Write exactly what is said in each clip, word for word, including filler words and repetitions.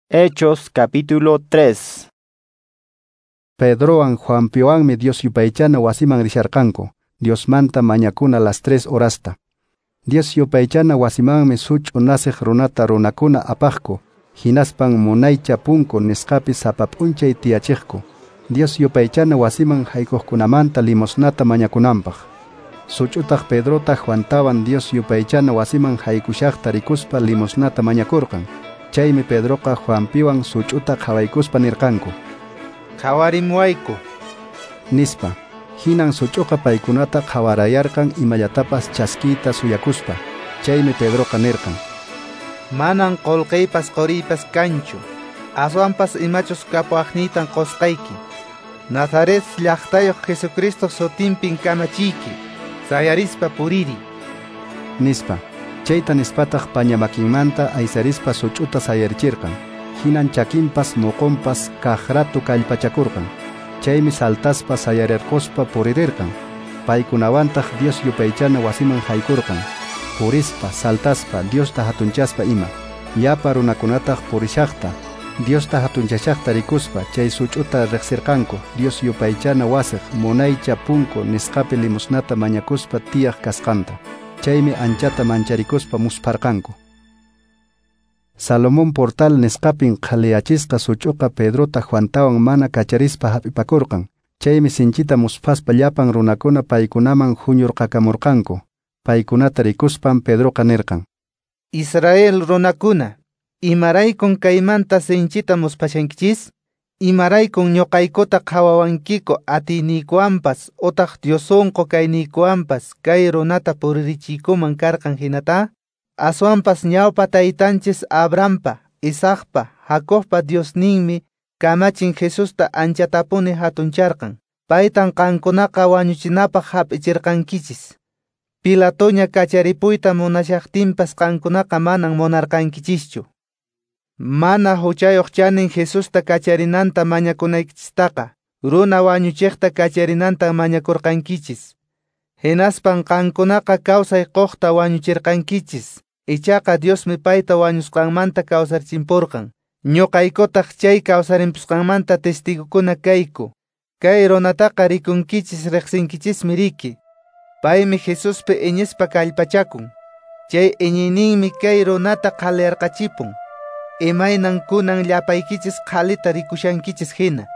Hechos capítulo tres. Pedrowan Juanpiwanmi Dios yupaychana wasiman risharqanku, Diosmanta mañakuna las tres horasta. Dios yupaychana wasimanmi such'u nasiq runata runakuna apaqku, hinaspan munaycha punku nisqapi sapa p'unchay tiyachiqku. Dios yupaychana wasiman haykuqkunamanta limosnata mañakunanpaq. Such'utaq Pedrota Juantawan Dios yupaychana wasiman haykushaqta rikuspa limosnata mañakurqan. Chaymi Pedroqa Juanpiwan such'uta qhawaykuspa nirqanku: "Qhawarimuwayku", nispa. Hinan such'uqa paykunata qhawarayarqan imallatapas chaskiyta suyakuspa. Chaymi Pedroqa nirqan: "Manan qolqeypas qoriypas kanchu, aswanpas imachus kapuwaqniytan qosqayki. Nazaret llaqtayuq Jesucristo sutinpin kamachiyki, sayarispa puriri", nispa. Chayta nispataq paña makinmanta aysarispa such'uta sayarichirqan. Hinan chakinpas moqonpas kaqrato kallpachakurqan. Chaymi saltaspa sayarirquspa puririrqan. Paykunawantaq Dios yupaychana wasiman haykurqan. Purispa, saltaspa, Diosta hatunchaspa ima. Llapa runakunataq purishaqta, Diosta hatunchashaqta rikuspa chay such'uta riqsirqanku Dios yupaychana wasiq munaycha punku nisqapi limosnata mañakuspa tiyaq kasqanta. Chaymi anchata mancharikuspa muspharqanku. Salomón portal nisqapin qhaliyachisqa such'uqa Pedrota Juantawan mana kacharispa hap'ipakurqan. Chaymi sinchita musphaspa llapan runakuna paykunaman huñurqakamurqanku. Paykunata rikuspan Pedroqa nirqan: "Israel runakuna, imaraykun kaymanta sinchita musphashankichis? Imaraykun ñuqaykuta qhawawankiku atiyniykuwanpas utaq Diosunqu kayniykuwanpas kay runata puririchiykuman karqan hinata? Aswanpas ñawpa taytanchis Abrahampa, Isaacpa, Jacobpa Diosninmi kamachin Jesusta anchatapuni hatuncharqan. Paytan qankunaqa wañuchinapaq hap'ichirqankichis. Pilatoña kacharipuyta munashaqtinpas qankunaqa manan munarqankichischu. Mana huchayuq chanin Jesusta kacharinanta mañakunaykichistaqa, runa wañuchiqta kacharinanta mañakurqankichis. Hinaspan qankunaqa kawsay quqta wañuchirqankichis. Ichaqa Diosmi payta wañusqanmanta kawsarichimpurqan. Ñuqaykutaq chay kawsarimpusqanmanta testigokuna kayku. Kay runataqa rikunkichis riqsinkichismi riki. Paymi Jesuspi iñispa kallpachakun. Chay iñiyninmi kay runata qhaliyarqachipun. Imaynan kunan llapaykichis qhalita rikushankichis hina.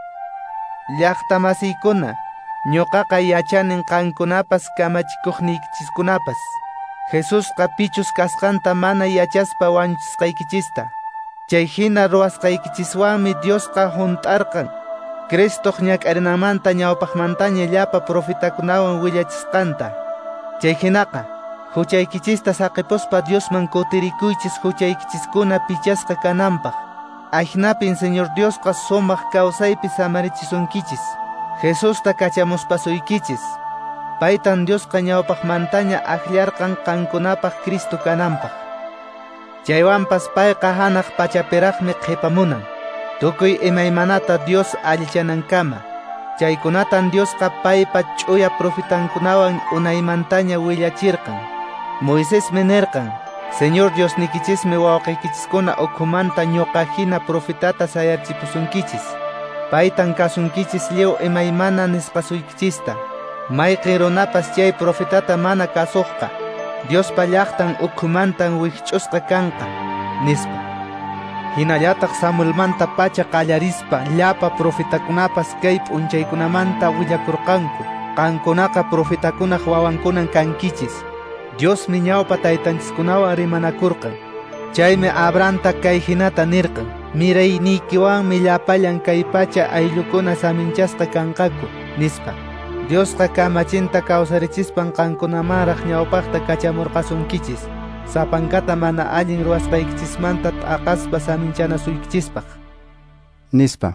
Llaqtamasiykuna, ñuqaqa yachanin qankunapas kamachikuqniykichiskunapas Jesusqa pichus kasqanta mana yachaspa wañuchisqaykichista. Chay hina ruwasqaykichiswanmi Diosqa hunt'arqan Cristoq ñak'arinanmanta ñawpaqmantaña llapa profetakunawan willachisqanta. Chay hinaqa huchaykichista saqipuspa Diosman kutirikuychis huchaykichiskuna pichasqa kananpaq. Ahinapin Señor Diosqa sumaq kawsaypi samarichisunkichis. Jesusta kachamuspasuykichis. Paytan Diosqa ñawpaqmantaña akllarqan qankunapaq Cristo kananpaq. Chaywanpas payqa hanaq pachapiraqmi qhipamunan. Tukuy imaymanata Dios allichanankama. Chaykunatan Diosqa paypa ch'uya profetankunawan unaymantaña willachirqan. Moisesmi nirqan: Señor Diosnikichismi wawqiykichiskuna ukhumanta ñuqa hina profetata sayarichipusunkichis. Paytan kasunkichis lliw imaymana nisqasuykichista. Mayqin runapas chay profetata mana kasuqqa, Diospa llaqtan ukhumantan wikch'usqa kanqa, nispa. Hinallataq Samuelmanta pacha qallarispa llapa profetakunapas kay p'unchaykunamanta willakurqanku. Qankunaqa profetakunaq wawankunan kankichis. Diosmi ñawpa taytanchiskunawan rimanakurqan. Chaymi Abrahamta kay hinata nirqan: Mirayniykiwanmi llapallan kay pacha ayllukuna saminchasqa kanqaku, nispa. Diosqa kamachinta kawsarichispan qankunamanraq ñawpaqta kachamurqasunkichis, sapankata mana allin ruwasqaykichismanta t'aqaspa saminchanasuykichispaq, nispa.